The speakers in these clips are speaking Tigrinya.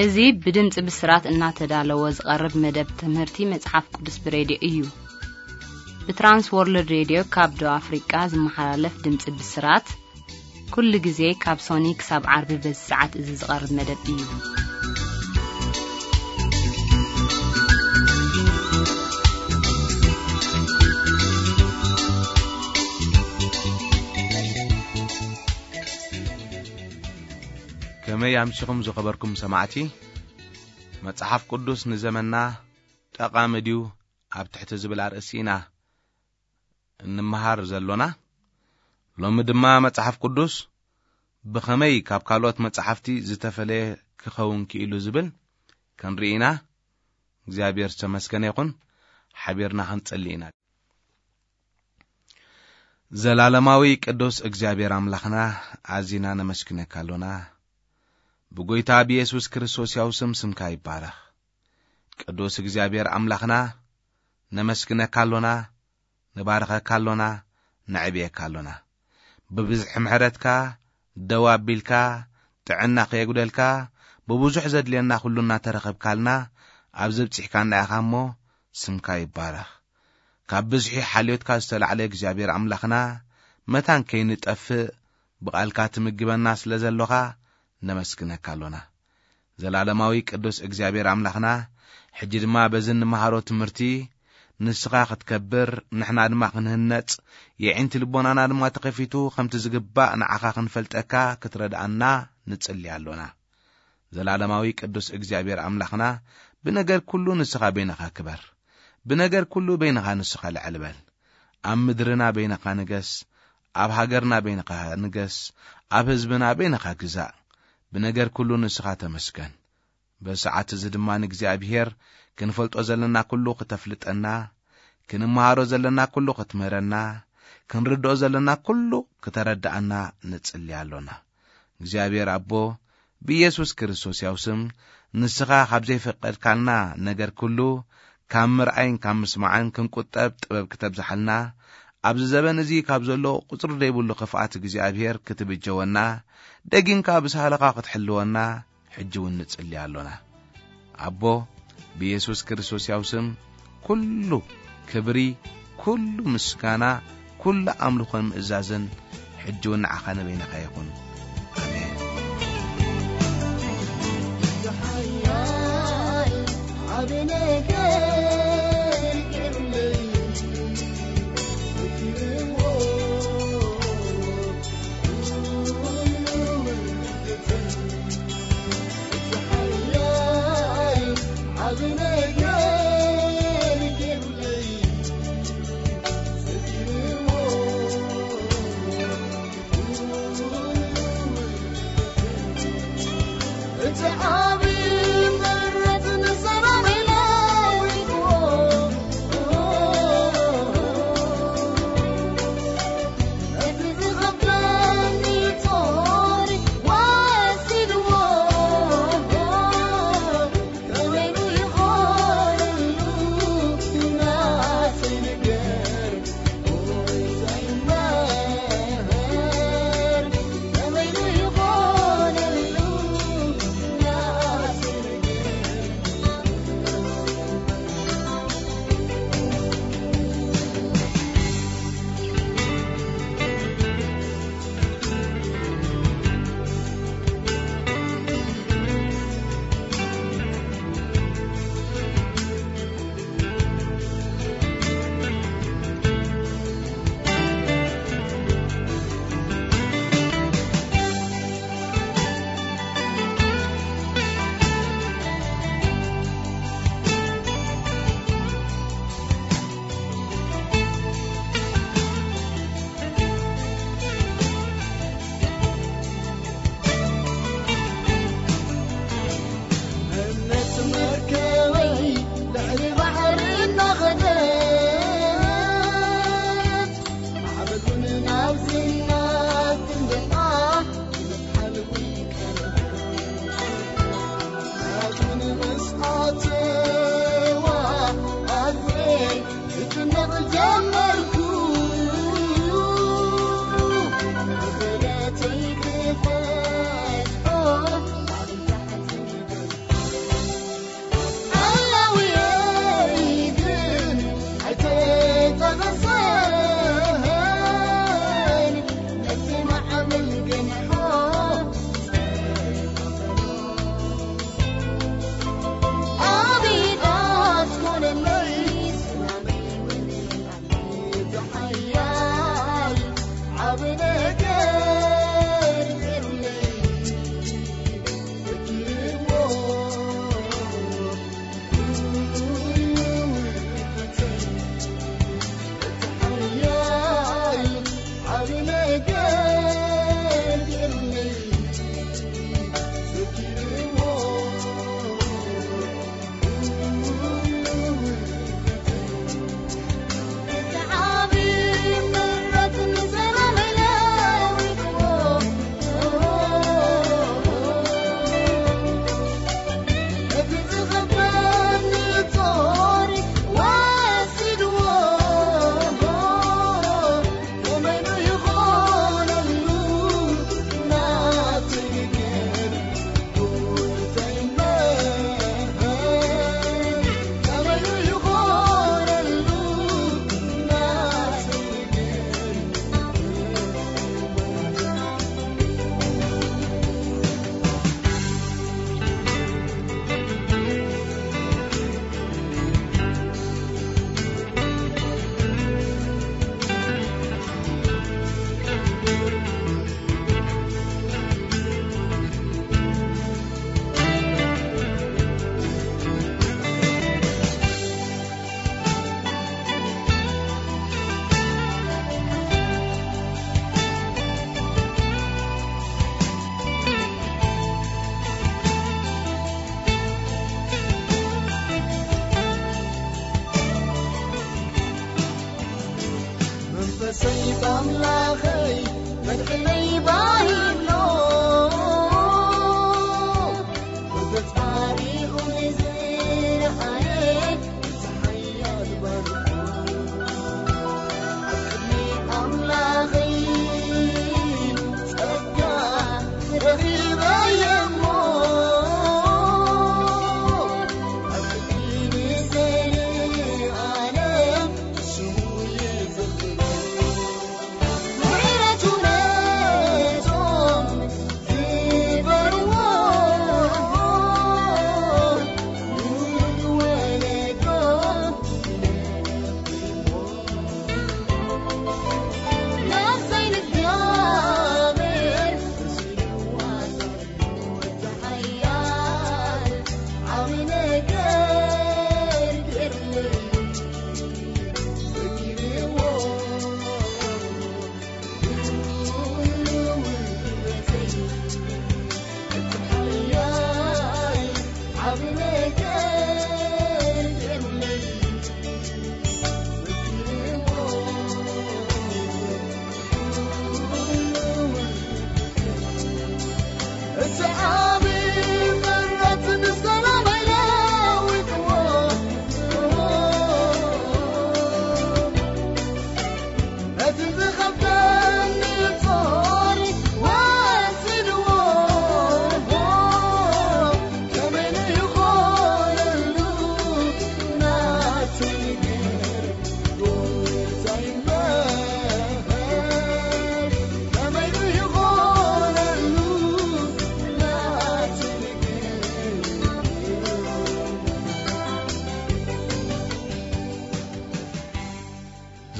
እዚ ብድምፂ ብስራት እናተዳለወ ዝቐርብ መደብ ትምህርቲ መጽሓፍ ቅዱስ ብሬድዮ እዩ። ብትራንስ ወርልድ ሬድዮ ካብ ደቡብ ኣፍሪቃ ዝመሓላለፍ ድምፂ ብስራት ኩሉ ግዜ ካብ ሶኒ ክሳብ ዓርቢ በዚ ሰዓት እዚ ዝቐርብ መደብ እዩ። ከመይ ኣምሲኹም ዝኸበርኩም ሰማዕቲ? መጽሓፍ ቅዱስ ንዘመንና ጠቓሚ ድዩ ኣብ ትሕቲ ዝብል ኣርእሲ ኢና እንመሃር ዘሎና። ሎሚ ድማ መጽሓፍ ቅዱስ ብኸመይ ካብ ካልኦት መጻሕፍቲ ዝተፈለየ ክኸውን ክኢሉ ዝብል ክንርኢ ኢና። እግዚኣብሔር ዝተመስገነ ይኹን። ሓቢርና ክንጽሊ ኢና። ዘላለማዊ ቅዱስ እግዚኣብሔር ኣምላኽና፣ ኣዚና ነመስግነካ ኣሎና። ብጎይታ ብየሱስ ክርስቶስ ያው ስም ስምካ ይባረኽ። ቅዱስ እግዚኣብሔር ኣምላኽና፣ ነመስግነካ ኣሎና፣ ንባርኸካ ኣሎና፣ ነዕብየካ ኣሎና። ብብዝሒ ምሕረትካ ደው ኣቢልካ፣ ጥዕና ከየጉደልካ፣ ብብዙሕ ዘድልየና ኩሉ እናተረኸብካልና ኣብዚ ኣብጺሕካና ኢኻ እሞ፣ ስምካ ይባረኽ። ካብ ብዝሒ ሓልዮትካ ዝተላዕለ እግዚኣብሔር ኣምላኽና፣ መታን ከይንጠፍእ ብቓልካ ትምግበና ስለ ዘሎኻ፣ ነመስግነካ ኣሎና። ዘላለማዊ ቅዱስ እግዚኣብሔር ኣምላኽና፣ ሕጂ ድማ በዚ እንመሃሮ ትምህርቲ ንስኻ ክትከብር፣ ንሕና ድማ ክንህነጽ፣ የዒንቲ ልቦናና ድማ ተኸፊቱ፣ ከምቲ ዝግባእ ንዓኻ ክንፈልጠካ ክትረድኣና ንጽሊ ኣሎና። ዘላለማዊ ቅዱስ እግዚኣብሔር ኣምላኽና፣ ብነገር ኩሉ ንስኻ በይንኻ ክበር። ብነገር ኩሉ በይንኻ ንስኻ ልዕል በል። ኣብ ምድርና በይንኻ ንገስ፣ ኣብ ሃገርና በይንኻ ንገስ፣ ኣብ ህዝብና በይንኻ ግዛእ። ብነገር ኩሉ ንስኻ ተመስገን። በዚ ሰዓት እዚ ድማ ንእግዚኣብሔር ክንፈልጦ ዘለና ኩሉ ክተፍልጠና፣ ክንመሃሮ ዘለና ኩሉ ክትምህረና፣ ክንርድኦ ዘለና ኩሉ ክተረድኣና ንጽሊ ኣሎና። እግዚኣብሔር ኣቦ፣ ብኢየሱስ ክርስቶስ ያው ስም ንስኻ ካብ ዘይፈቀድካልና ነገር ኩሉ፣ ካብ ምርኣይን ካብ ምስማዕን ክንቁጠብ ጥበብ ክተብዝሓልና፣ ኣብዚ ዘበን እዚ ካብ ዘሎ ቁጽሪ ዘይብሉ ክፍኣት እግዚኣብሔር ክትብጀወና፣ ደጊምካ ብሳህልኻ ክትሕልወና፣ ሕጂ እውን ንጽሊ ኣሎና። ኣቦ፣ ብየሱስ ክርስቶስ ያው ስም ኩሉ ክብሪ፣ ኩሉ ምስጋና፣ ኩሉ ኣምልኾን ምእዛዝን ሕጂ እውን ንዓኻ ንበይንኻ ይኹን። ኣሜን።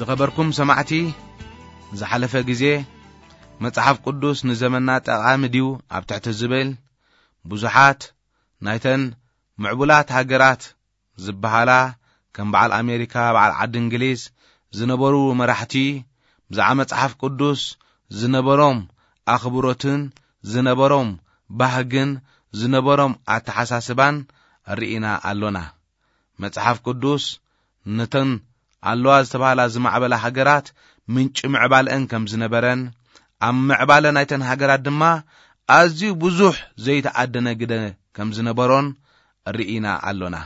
ዝኸበርኩም ሰማዕቲ፣ ዝሓለፈ ግዜ መጽሓፍ ቅዱስ ንዘመንና ጠቓሚ ድዩ ኣብ ትሕቲ ዝብል ብዙሓት ናይተን ምዕቡላት ሃገራት ዝበሃላ ከም በዓል ኣሜሪካ፣ በዓል ዓዲ እንግሊዝ ዝነበሩ መራሕቲ ብዛዕባ መጽሓፍ ቅዱስ ዝነበሮም ኣኽብሮትን ዝነበሮም ባህግን ዝነበሮም ኣተሓሳስባን ርኢና ኣሎና። መጽሓፍ ቅዱስ ነተን ኣለዋ ዝተባህላ ዝማዕበላ ሃገራት ምንጪ ምዕባለአን ከም ዝነበረን፣ ኣብ ምዕባለ ናይተን ሃገራት ድማ ኣዝዩ ብዙሕ ዘይተኣደነ ግደ ከም ዝነበሮን ርኢና ኣሎና።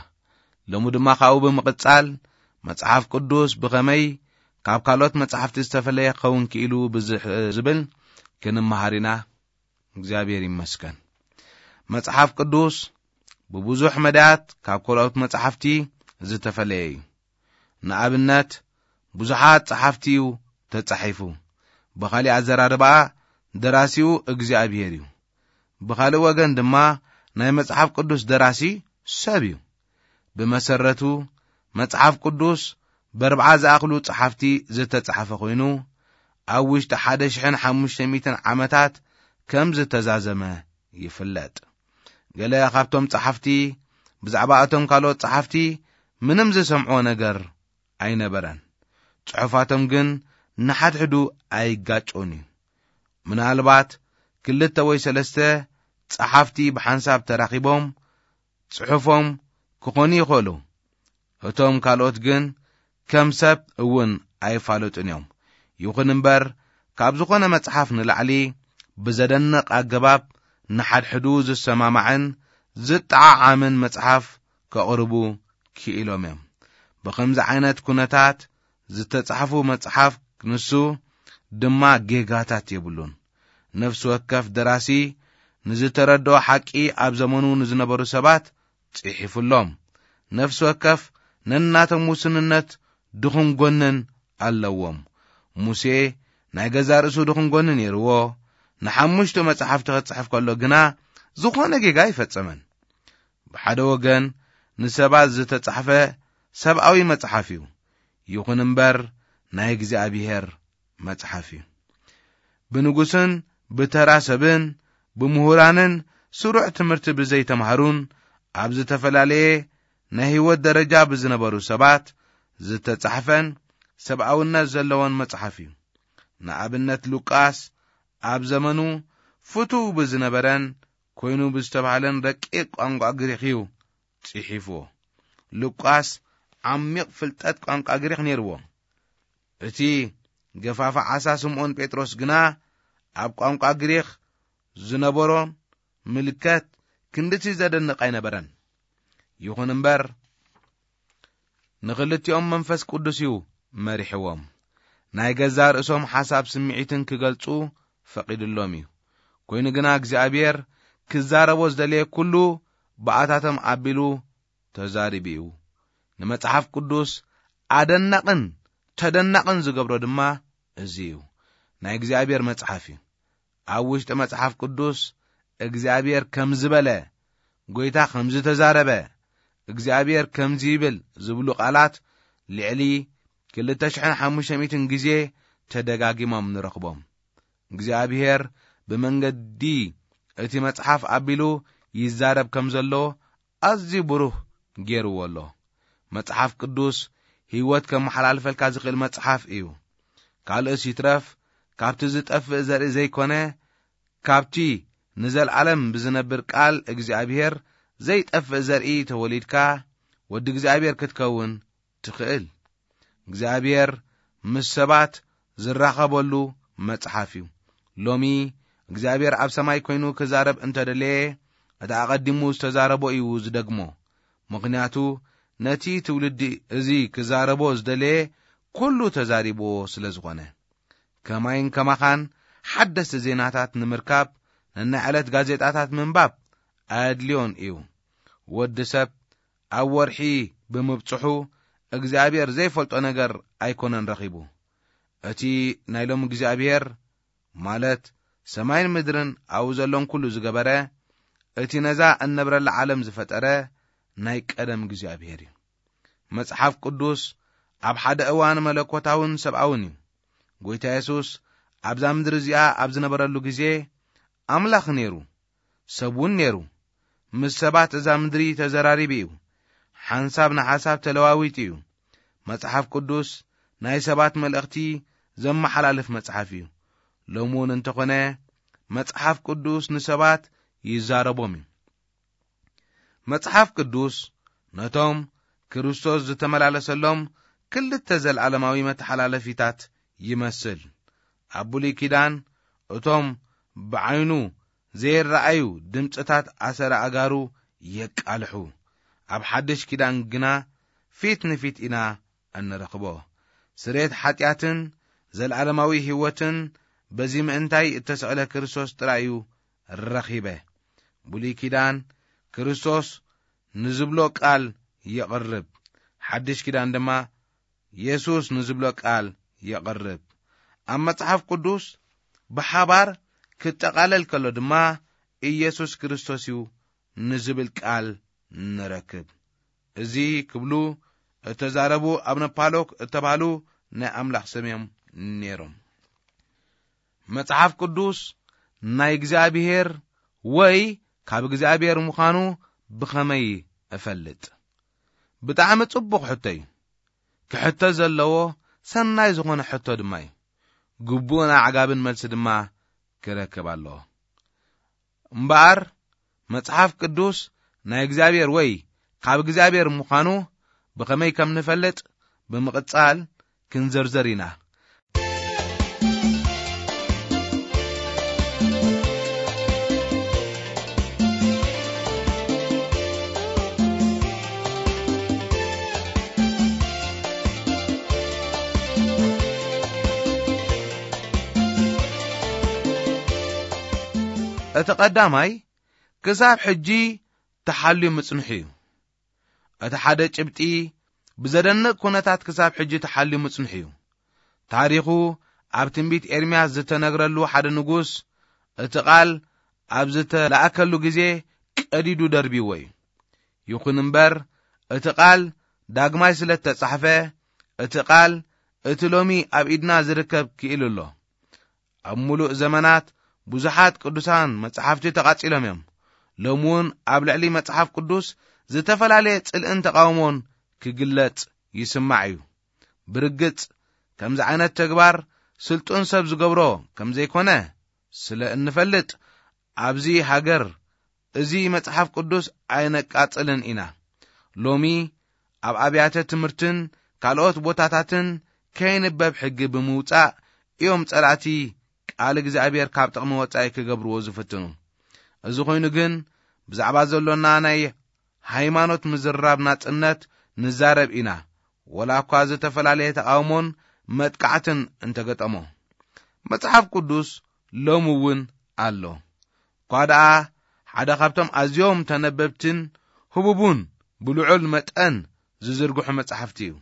ሎሚ ድማ ካብኡ ብምቕጻል መጽሓፍ ቅዱስ ብኸመይ ካብ ካልኦት መጻሕፍቲ ዝተፈለየ ክኸውን ክኢሉ ብዝሕ-፣ ዝብል ክንመሃር ኢና። እግዚኣብሔር ይመስገን። መጽሓፍ ቅዱስ ብብዙሕ መዳያት ካብ ካልኦት መጻሕፍቲ ዝተፈለየ እዩ። ንኣብነት፣ ብዙሓት ጸሓፍቲ እዩ ተጻሒፉ። ብኻሊእ ኣዘራርባ፣ ደራሲኡ እግዚኣብሔር እዩ። ብኻልእ ወገን ድማ ናይ መጽሓፍ ቅዱስ ደራሲ ሰብ እዩ። ብመሰረቱ፣ መጽሓፍ ቅዱስ በርብዓ ዝኣኽሉ ጸሓፍቲ ዝተጻሕፈ ኮይኑ፣ ኣብ ውሽጢ ሓደ ሽሕን ሓሙሽተ ሚእትን ዓመታት ከም ዝተዛዘመ ይፍለጥ። ገለ ካብቶም ጸሓፍቲ ብዛዕባ እቶም ካልኦት ጸሓፍቲ ምንም ዝሰምዕዎ ነገር ኣይነበረን። ጽሑፋቶም ግን ንሓድሕዱ ኣይጋጮን እዩ። ምናልባት ክልተ ወይ ሰለስተ ጸሓፍቲ ብሓንሳብ ተራኺቦም ጽሑፎም ክኾኑ ይኽእሉ። እቶም ካልኦት ግን ከም ሰብ እውን ኣይፋለጡን እዮም። ይኹን እምበር፣ ካብ ዝኾነ መጽሓፍ ንላዕሊ ብዘደንቕ ኣገባብ ንሓድሕዱ ዝሰማማዕን ዝጠዓዓምን መጽሓፍ ከቕርቡ ክኢሎም እዮም። ብኸምዚ ዓይነት ኩነታት ዝተጻሕፉ መጽሓፍ ንሱ ድማ ጌጋታት የብሉን። ነፍሲ ወከፍ ደራሲ ንዝተረድኦ ሓቂ ኣብ ዘመኑ ንዝነበሩ ሰባት ጽሒፉሎም። ነፍሲ ወከፍ ነናቶም ውስንነት ድኹም ጎንን ኣለዎም። ሙሴ ናይ ገዛ ርእሱ ድኹም ጎኒ ነይርዎ። ንሓሙሽተ መጽሓፍቲ ክጽሕፍ ከሎ ግና ዝኾነ ጌጋ ኣይፈጸመን። ብሓደ ወገን ንሰባት ዝተጻሕፈ ሰብኣዊ መጽሓፍ እዩ። ይኹን እምበር ናይ እግዚኣብሔር መጽሓፍ እዩ። ብንጉስን ብተራ ሰብን ብምሁራንን ስሩዕ ትምህርቲ ብዘይተምሃሩን ኣብ ዝተፈላለየ ናይ ህይወት ደረጃ ብዝነበሩ ሰባት ዝተጻሕፈን ሰብኣውነት ዘለዎን መጽሓፍ እዩ። ንኣብነት ሉቃስ ኣብ ዘመኑ ፍቱው ብዝነበረን ኮይኑ ብዝተባህለን ረቂቕ ቋንቋ ግሪኽ እዩ ጽሒፍዎ። ሉቃስ ዓሚቕ ፍልጠት ቋንቋ ግሪኽ ነይርዎ። እቲ ገፋፊ ዓሳ ስምዖን ጴጥሮስ ግና ኣብ ቋንቋ ግሪኽ ዝነበሮን ምልከት ክንድቲ ዘደንቕ ኣይነበረን። ይኹን እምበር ንኽልቲኦም መንፈስ ቅዱስ እዩ መሪሕዎም። ናይ ገዛ ርእሶም ሓሳብ ስምዒትን ክገልጹ ፈቒድሎም እዩ። ኮይኑ ግና እግዚኣብሔር ክዛረቦ ዝደለየ ኩሉ ብኣታቶም ኣቢሉ ተዛሪቡ እዩ። ንመጽሓፍ ቅዱስ ኣደናቕን ተደናቕን ዝገብሮ ድማ እዚ እዩ። ናይ እግዚኣብሔር መጽሓፍ እዩ። ኣብ ውሽጢ መጽሓፍ ቅዱስ እግዚኣብሔር ከም ዝበለ፣ ጎይታ ከም ዝተዛረበ፣ እግዚኣብሔር ከምዚ ይብል ዝብሉ ቃላት ልዕሊ ክልተ ሽሕን ሓሙሽተ ሚእትን ግዜ ተደጋጊሞም ንረኽቦም። እግዚኣብሔር ብመንገዲ እቲ መጽሓፍ ኣቢሉ ይዛረብ ከም ዘሎ ኣዝዩ ብሩህ ገይርዎ ኣሎ። መጽሓፍ ቅዱስ ህይወት ከመሓላልፈልካ ዝኽእል መጽሓፍ እዩ። ካልእስ ይትረፍ፣ ካብቲ ዝጠፍእ ዘርኢ ዘይኮነ፣ ካብቲ ንዘለዓለም ብዝነብር ቃል እግዚኣብሔር ዘይጠፍእ ዘርኢ ተወሊድካ ወዲ እግዚኣብሔር ክትከውን ትኽእል። እግዚኣብሔር ምስ ሰባት ዝራኸበሉ መጽሓፍ እዩ። ሎሚ እግዚኣብሔር ኣብ ሰማይ ኮይኑ ክዛረብ እንተደለየ፣ እቲ ኣቐዲሙ ዝተዛረቦ እዩ ዝደግሞ። ምኽንያቱ ነቲ ትውልዲ እዚ ክዛረቦ ዝደለየ ኩሉ ተዛሪብዎ ስለ ዝኾነ። ከማይን ከማኻን ሓደስቲ ዜናታት ንምርካብ ነናይ ዕለት ጋዜጣታት ምንባብ ኣየድልዮን እዩ። ወዲ ሰብ ኣብ ወርሒ ብምብጽሑ እግዚኣብሔር ዘይፈልጦ ነገር ኣይኮነን ረኺቡ። እቲ ናይ ሎም እግዚኣብሔር፣ ማለት ሰማይን ምድርን ኣብኡ ዘሎን ኩሉ ዝገበረ፣ እቲ ነዛ እንነብረላ ዓለም ዝፈጠረ ናይ ቀደም እግዚኣብሔር እዩ። መጽሓፍ ቅዱስ ኣብ ሓደ እዋን መለኮታውን ሰብኣውን እዩ። ጎይታ የሱስ ኣብዛ ምድሪ እዚኣ ኣብ ዝነበረሉ ግዜ ኣምላኽ ነይሩ፣ ሰብ እውን ነይሩ። ምስ ሰባት እዛ ምድሪ ተዘራሪቡ እዩ። ሓንሳብ ንሓሳብ ተለዋዊጡ እዩ። መጽሓፍ ቅዱስ ናይ ሰባት መልእኽቲ ዘመሓላልፍ መጽሓፍ እዩ። ሎሚ እውን እንተኾነ መጽሓፍ ቅዱስ ንሰባት ይዛረቦም እዩ። መጽሓፍ ቅዱስ ነቶም ክርስቶስ ዝተመላለሰሎም ክልተ ዘለዓለማዊ መተሓላለፊታት ይመስል። ኣብ ብሉይ ኪዳን እቶም ብዓይኑ ዘይረኣዩ ድምጽታት ኣሰረ ኣጋሩ የቃልሑ። ኣብ ሓድሽ ኪዳን ግና ፊት ንፊት ኢና እንረኽቦ። ስርየት ሓጢኣትን ዘለዓለማዊ ህይወትን በዚ ምእንታይ እተሰቕለ ክርስቶስ ጥራይ እዩ ረኺበ። ብሉይ ኪዳን ክርስቶስ ንዝብሎ ቃል የቕርብ፣ ሓድሽ ኪዳን ድማ የሱስ ንዝብሎ ቃል የቕርብ። ኣብ መጽሓፍ ቅዱስ ብሓባር ክጠቓለል ከሎ ድማ ኢየሱስ ክርስቶስ እዩ ንዝብል ቃል ንረክብ። እዚ ክብሉ እተዛረቡ ኣብነ ፓሎክ እተባህሉ ናይ ኣምላኽ ስም እዮም ነይሮም። መጽሓፍ ቅዱስ ናይ እግዚኣብሔር ወይ ካብ እግዚኣብሔር ምዃኑ ብኸመይ እፈልጥ? ብጣዕሚ ጽቡቕ ሕቶ እዩ። ክሕቶ ዘለዎ ሰናይ ዝኾነ ሕቶ ድማ እዩ። ግቡእን ኣዕጋብን መልሲ ድማ ክረክብ ኣለዎ። እምበኣር መጽሓፍ ቅዱስ ናይ እግዚኣብሔር ወይ ካብ እግዚኣብሔር ምዃኑ ብኸመይ ከም ንፈልጥ ብምቕጻል ክንዘርዘር ኢና። እቲ ቀዳማይ ክሳብ ሕጂ ተሓልዩ ምጽንሑ እዩ። እቲ ሓደ ጭብጢ ብዘደንቕ ኩነታት ክሳብ ሕጂ ተሓልዩ ምጽንሑ እዩ። ታሪኹ ኣብ ትንቢት ኤርምያስ ዝተነግረሉ ሓደ ንጉስ እቲ ቃል ኣብ ዝተለኣከሉ ግዜ ቀዲዱ ደርቢዎ እዩ። ይኹን እምበር እቲ ቃል ዳግማይ ስለ እተጻሕፈ እቲ ቃል እቲ ሎሚ ኣብ ኢድና ዝርከብ ክኢሉ ኣሎ። ኣብ ምሉእ ዘመናት ብዙሓት ቅዱሳን መጻሕፍቲ ተቓጺሎም እዮም። ሎሚ እውን ኣብ ልዕሊ መጽሓፍ ቅዱስ ዝተፈላለየ ጽልእን ተቓውሞን ክግለጽ ይስማዕ እዩ። ብርግጽ ከምዚ ዓይነት ተግባር ስልጡን ሰብ ዝገብሮ ከም ዘይኮነ ስለ እንፈልጥ ኣብዚ ሃገር እዚ መጽሓፍ ቅዱስ ኣይነቃጽልን ኢና። ሎሚ ኣብ ኣብያተ ትምህርትን ካልኦት ቦታታትን ከይንበብ ሕጊ ብምውጻእ እዮም ጸላእቲ ቃል እግዚኣብሔር ካብ ጥቕሚ ወጻኢ ክገብርዎ ዝፍትኑ። እዚ ኮይኑ ግን ብዛዕባ ዘሎና ናይ ሃይማኖት ምዝርራብ ናጽነት ንዛረብ ኢና፣ ወላ እኳ ዝተፈላለየ ተቓውሞን መጥቃዕትን እንተገጠሞ። መጽሓፍ ቅዱስ ሎሚ እውን ኣሎ። እኳ ደኣ ሓደ ካብቶም ኣዝዮም ተነበብትን ህቡቡን ብልዑል መጠን ዝዝርግሑ መጻሕፍቲ እዩ።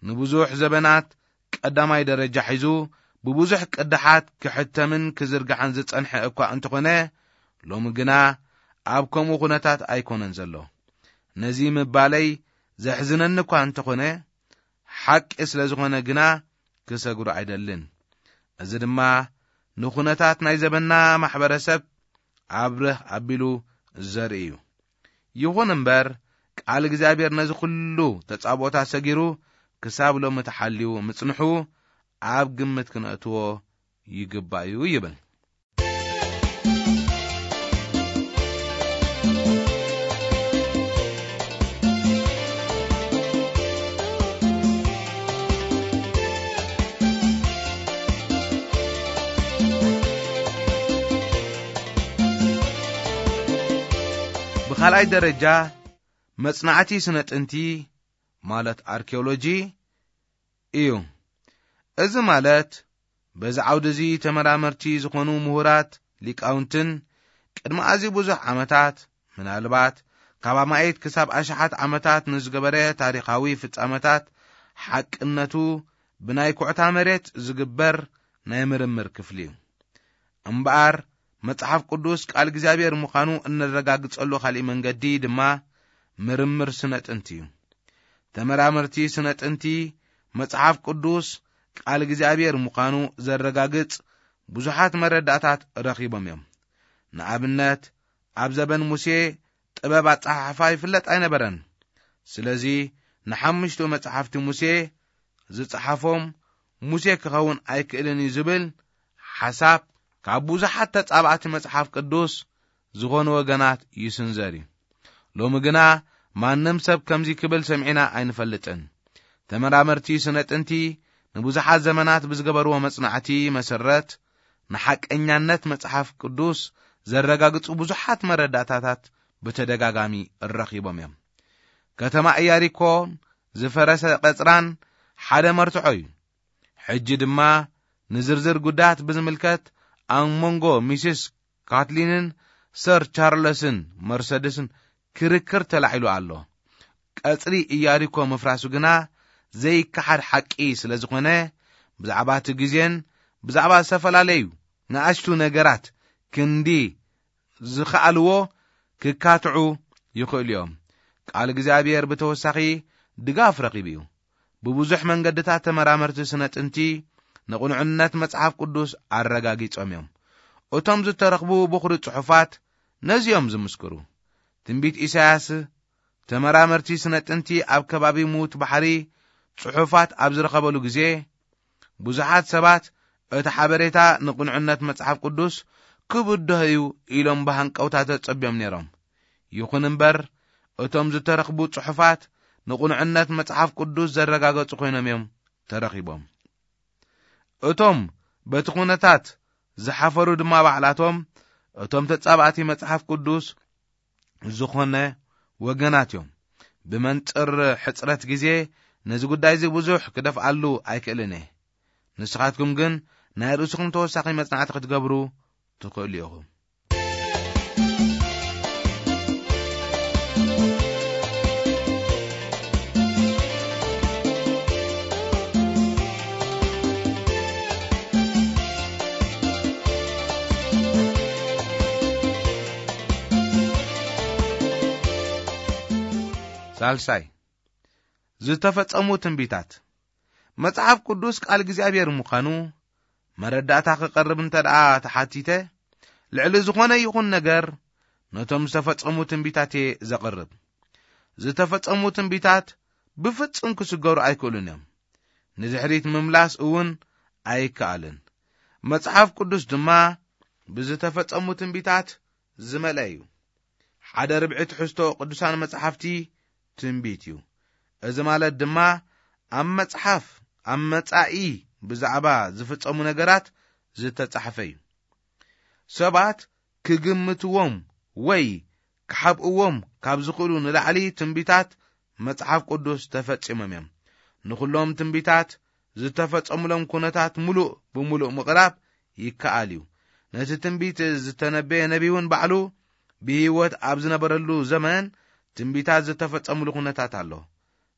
ንብዙሕ ዘበናት ቀዳማይ ደረጃ ሒዙ ብብዙሕ ቅዳሓት ክሕተምን ክዝርጋሕን ዝጸንሐ እኳ እንተኾነ፣ ሎሚ ግና ኣብ ከምኡ ኩነታት ኣይኮነን ዘሎ። ነዚ ምባለይ ዘሕዝነኒ እኳ እንተኾነ፣ ሓቂ ስለ ዝኾነ ግና ክሰግሮ ኣይደልን። እዚ ድማ ንኹነታት ናይ ዘበና ማሕበረሰብ ኣብርህ ኣቢሉ ዘርኢ እዩ። ይኹን እምበር፣ ቃል እግዚኣብሔር ነዚ ኩሉ ተጻብኦታት ሰጊሩ ክሳብ ሎሚ ተሓልዩ ምጽንሑ ኣብ ግምት ክነእትዎ ይግባእ እዩ ይብል። ብኻልኣይ ደረጃ፣ መጽናዕቲ ስነ ጥንቲ፣ ማለት ኣርኪኦሎጂ እዩ። እዚ ማለት በዚ ዓውዲ እዚ ተመራመርቲ ዝኾኑ ምሁራት ሊቃውንትን ቅድሚ ኣዝዩ ብዙሕ ዓመታት፣ ምናልባት ካብ ኣማኢት ክሳብ ኣሽሓት ዓመታት ንዝገበረ ታሪኻዊ ፍጻመታት ሓቅነቱ ብናይ ኩዕታ መሬት ዝግበር ናይ ምርምር ክፍሊ እዩ። እምበኣር መጽሓፍ ቅዱስ ቃል እግዚኣብሔር ምዃኑ እነረጋግጸሉ ካልእ መንገዲ ድማ ምርምር ስነ ጥንቲ እዩ። ተመራመርቲ ስነ ጥንቲ መጽሓፍ ቅዱስ ቃል እግዚኣብሔር ምዃኑ ዘረጋግጽ ብዙሓት መረዳእታት ረኺቦም እዮም። ንኣብነት፣ ኣብ ዘበን ሙሴ ጥበብ ኣጸሓሕፋ ይፍለጥ ኣይነበረን። ስለዚ ንሓሙሽቱ መጽሓፍቲ ሙሴ ዝጸሓፎም ሙሴ ክኸውን ኣይክእልን እዩ ዝብል ሓሳብ ካብ ብዙሓት ተጻባእቲ መጽሓፍ ቅዱስ ዝኾኑ ወገናት ይስንዘር እዩ። ሎሚ ግና ማንም ሰብ ከምዚ ክብል ሰሚዕና ኣይንፈልጥን። ተመራመርቲ ስነ ጥንቲ ንብዙሓት ዘመናት ብዝገበርዎ መጽናዕቲ መሰረት፣ ንሓቀኛነት መጽሓፍ ቅዱስ ዘረጋግጹ ብዙሓት መረዳእታታት ብተደጋጋሚ ረኺቦም እዮም። ከተማ ኢያሪኮን ዝፈረሰ ቀጽራን ሓደ መርትዖ እዩ። ሕጂ ድማ ንዝርዝር ጉዳያት ብዝምልከት ኣብ መንጎ ሚስስ ካትሊንን ሰር ቻርለስን መርሰድስን ክርክር ተላዒሉ ኣሎ። ቀጽሪ ኢያሪኮ ምፍራሱ ግና ዘይከሓድ ሓቂ ስለ ዝኾነ፣ ብዛዕባ እቲ ግዜን ብዛዕባ ዝተፈላለዩ ንኣሽቱ ነገራት ክንዲ ዝኸኣልዎ ክካትዑ ይኽእሉ እዮም። ቃል እግዚኣብሔር ብተወሳኺ ድጋፍ ረኺቡ እዩ። ብብዙሕ መንገድታት ተመራመርቲ ስነ ጥንቲ ንቕኑዕነት መጽሓፍ ቅዱስ ኣረጋጊጾም እዮም። እቶም ዝተረኽቡ ብኹሪ ጽሑፋት ነዚኦም ዝምስክሩ። ትንቢት ኢሳያስ ተመራመርቲ ስነ ጥንቲ ኣብ ከባቢ ምዉት ባሕሪ ጽሑፋት ኣብ ዝረኸበሉ ግዜ፣ ብዙሓት ሰባት እቲ ሓበሬታ ንቕኑዕነት መጽሓፍ ቅዱስ ክብድሆ እዩ ኢሎም ብሃንቀውታ ተጸብዮም ነይሮም። ይኹን እምበር፣ እቶም ዝተረኽቡ ጽሑፋት ንቕኑዕነት መጽሓፍ ቅዱስ ዘረጋገጹ ኮይኖም እዮም ተረኺቦም። እቶም በቲ ኩነታት ዝሓፈሩ ድማ ባዕላቶም እቶም ተጻባእቲ መጽሓፍ ቅዱስ ዝኾነ ወገናት እዮም። ብመንጽር ሕጽረት ግዜ ነዚ ጉዳይ እዚ ብዙሕ ክደፍኣሉ ኣይክእልን እየ። ንስኻትኩም ግን ናይ ርእስኹም ተወሳኺ መጽናዕቲ ክትገብሩ ትኽእሉ ኢኹም። ሳልሳይ፣ ዝተፈጸሙ ትንቢታት። መጽሓፍ ቅዱስ ቃል እግዚኣብሔር ምዃኑ መረዳእታ ክቐርብ እንተ ደኣ ተሓቲተ፣ ልዕሊ ዝኾነ ይኹን ነገር ነቶም ዝተፈጸሙ ትንቢታት እየ ዘቕርብ። ዝተፈጸሙ ትንቢታት ብፍጹም ክስገሩ ኣይክእሉን እዮም። ንድሕሪት ምምላስ እውን ኣይከኣልን። መጽሓፍ ቅዱስ ድማ ብዝተፈጸሙ ትንቢታት ዝመልአ እዩ። ሓደ ርብዒ ትሕዝቶ ቅዱሳን መጻሕፍቲ ትንቢት እዩ። እዚ ማለት ድማ ኣብ መጽሓፍ፣ ኣብ መጻኢ ብዛዕባ ዝፍጸሙ ነገራት ዝተጻሕፈ እዩ። ሰባት ክግምትዎም ወይ ክሓብእዎም ካብ ዝኽእሉ ንላዕሊ ትንቢታት መጽሓፍ ቅዱስ ተፈጺሞም እዮም። ንኹሎም ትንቢታት ዝተፈጸሙሎም ኩነታት ምሉእ ብምሉእ ምቕራብ ይከኣል እዩ። ነቲ ትንቢት ዝተነበየ ነቢይ እውን ባዕሉ ብህይወት ኣብ ዝነበረሉ ዘመን ትንቢታት ዝተፈጸሙሉ ኩነታት ኣሎ።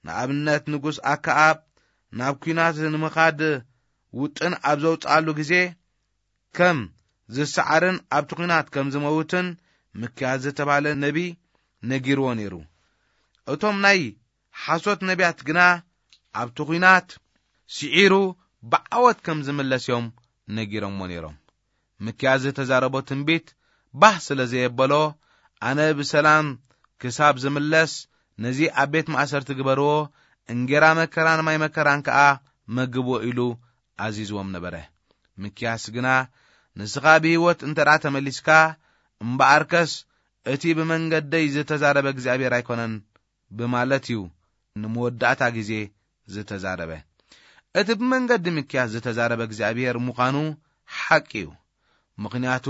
ንኣብነት፣ ንጉስ ኣከኣብ ናብ ኲናት ንምኻድ ውጥን ኣብ ዘውጽኣሉ ግዜ፣ ከም ዝሰዓርን ኣብቲ ኲናት ከም ዝመውትን ሚክያስ ዝተባህለ ነቢይ ነጊርዎ ነይሩ። እቶም ናይ ሓሶት ነቢያት ግና ኣብቲ ኲናት ስዒሩ ብዓወት ከም ዝምለስ እዮም ነጊሮምዎ ነይሮም። ሚክያስ ዝተዛረቦ ትንቢት ባህ ስለ ዘየበሎ፣ ኣነ ብሰላም ክሳብ ዝምለስ ነዚ ኣብ ቤት ማእሰርቲ ግበርዎ፣ እንጌራ መከራን ማይ መከራን ከኣ መግብዎ ኢሉ ኣዚዝዎም ነበረ። ሚክያስ ግና፣ ንስኻ ብህይወት እንተ ደኣ ተመሊስካ፣ እምበኣርከስ እቲ ብመንገደይ ዝተዛረበ እግዚኣብሔር ኣይኮነን ብማለት እዩ ንመወዳእታ ግዜ ዝተዛረበ። እቲ ብመንገዲ ሚክያስ ዝተዛረበ እግዚኣብሔር ምዃኑ ሓቂ እዩ። ምኽንያቱ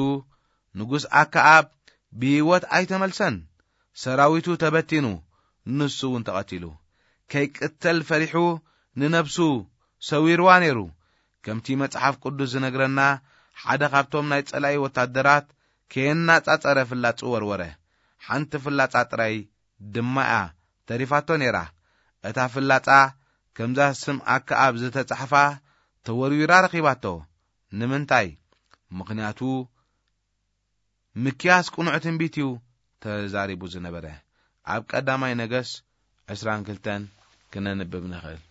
ንጉስ ኣከኣብ ብህይወት ኣይተመልሰን። ሰራዊቱ ተበቲኑ፣ ንሱ እውን ተቐቲሉ። ከይቅተል ፈሪሑ ንነብሱ ሰዊርዋ ነይሩ። ከምቲ መጽሓፍ ቅዱስ ዝነግረና፣ ሓደ ካብቶም ናይ ጸላኢ ወታደራት ከየናጻጸረ ፍላጹ ወርወረ። ሓንቲ ፍላጻ ጥራይ ድማ እያ ተሪፋቶ ነይራ። እታ ፍላጻ ከምዛ ስም ኣከኣብ ዝተጻሕፋ ተወርዊራ ረኺባቶ። ንምንታይ? ምኽንያቱ ምክያስ ቅኑዕ ትንቢት እዩ ተዛሪቡ ዝነበረ። ኣብ ቀዳማይ ነገስ ዕስራን ክልተን ክነንብብ ንኽእል።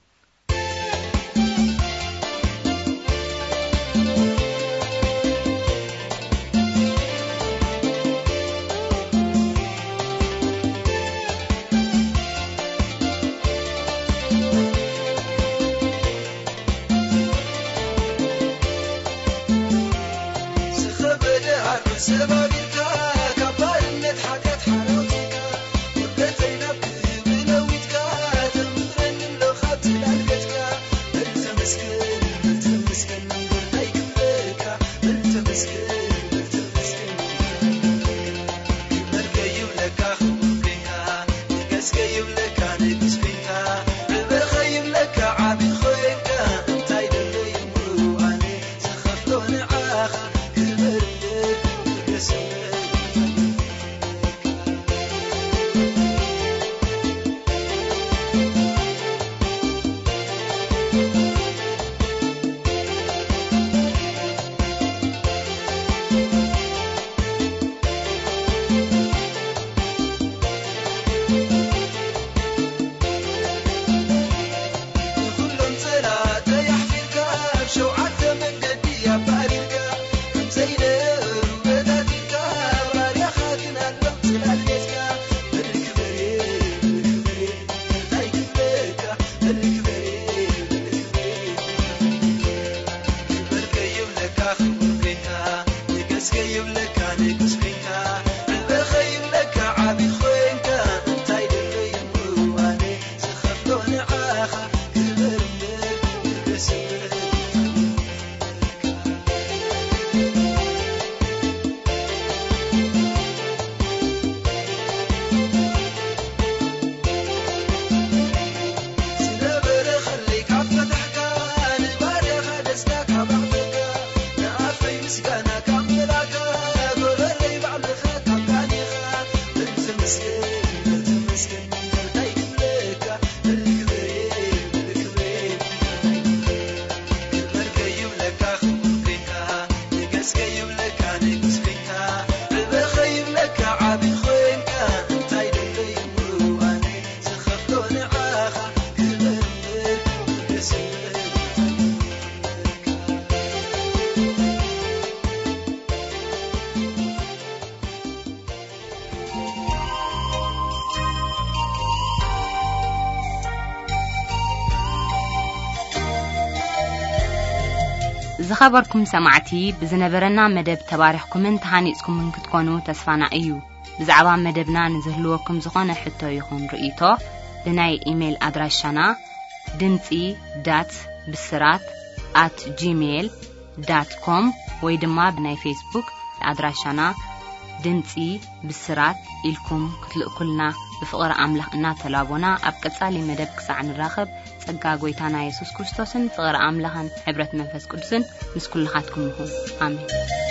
ሰባቢልካ ካብ ባርነት ሓጢኣት ሓራውትካ፣ ውርደተይ ናብ ክብሪ ለዊጥካ፣ ተምህረኒ ኣሎ ካብ ጽላል ገጽካ። በል ተመስገን፣ በል ተመስገን፣ እንታይ ክብለካ? በል ተመስገን፣ በል ተመስገን። ክብረልከ ይብለካ ክቡር ኮይንካ፣ ንገስከ ይብለካ ንጉስ ኮይንካ፣ ዕበኸ ይብለካ ዓቢ ኮይንካ፣ እንታይ ደለዩ ኣነ ዝኸፍሎ ንዓኻ? ክብር ንገስከ። ንኹሎም ጸላእተይ ኣሕፊርካ፣ ኣብ ሸውዓተ መንገዲ ኣባሪርካ፣ ከም ዘይነበሩ በታቲንካ፣ ባርያኻ ግን ኣለኹ ጽላል ጌጽካ። በል ክብሪ፣ በል ክብሪ፣ እንታይ ክብለካ? በል ክብሪ፣ በል ክብሪ። ክብር ከይብለካ ክቡር ኮይንካ፣ ንገስ ከይብለካ ንጉስ ኮይንካ፣ ዕበ ከይብለካ ዓቢ ኮይንካ፣ እንታይ ደለዩ ምዋኔ ዝኸፍሎ ንዓኻ? ክብር እምበር ንገስ እምበር። ዝነበረ ኸለይ ካብ ፈታሕካ፣ ንባርያኻ ደስታ ካብ ኣቕደካ፣ ንኣፈይ ምስጋና ካብ ምላእካ፣ ጎረረይ ባዕልኻ ካብ ዳኒኻ። በል ተመስገን፣ በል ተመስገን፣ እንታይ ክብለካ? በል ክብሬ፣ በል ክብሬ። ክብር ከይብለካ ክቡር ኮይንካ፣ ንገስ ከይብለካ ንጉስ ኮይንካ፣ ዕበ ከይብለካ ዓቢ ኮይንካ፣ እንታይ ደለዩ ምዋኔ ዝኸፍሎ ንዓኻ? ክብር እምበር ንገስ እምበር። ዝኸበርኩም ሰማዕቲ፣ ብዝነበረና መደብ ተባሪኽኩምን ተሃኒጽኩምን ክትኮኑ ተስፋና እዩ። ብዛዕባ መደብና ንዝህልወኩም ዝኾነ ሕቶ ይኹን ርእይቶ፣ ብናይ ኢሜይል ኣድራሻና ድምጺ ዳት ብስራት ኣት ጂሜይል ዳት ኮም ወይ ድማ ብናይ ፌስቡክ ኣድራሻና ድምጺ ብስራት ኢልኩም ክትልእኩልና ብፍቕሪ ኣምላኽ እናተላቦና፣ ኣብ ቀጻሊ መደብ ክሳዕ ንራኸብ፣ ጸጋ ጐይታና የሱስ ክርስቶስን ፍቕሪ ኣምላኽን ሕብረት መንፈስ ቅዱስን ምስ ኩልኻትኩም ይኹን። ኣሜን።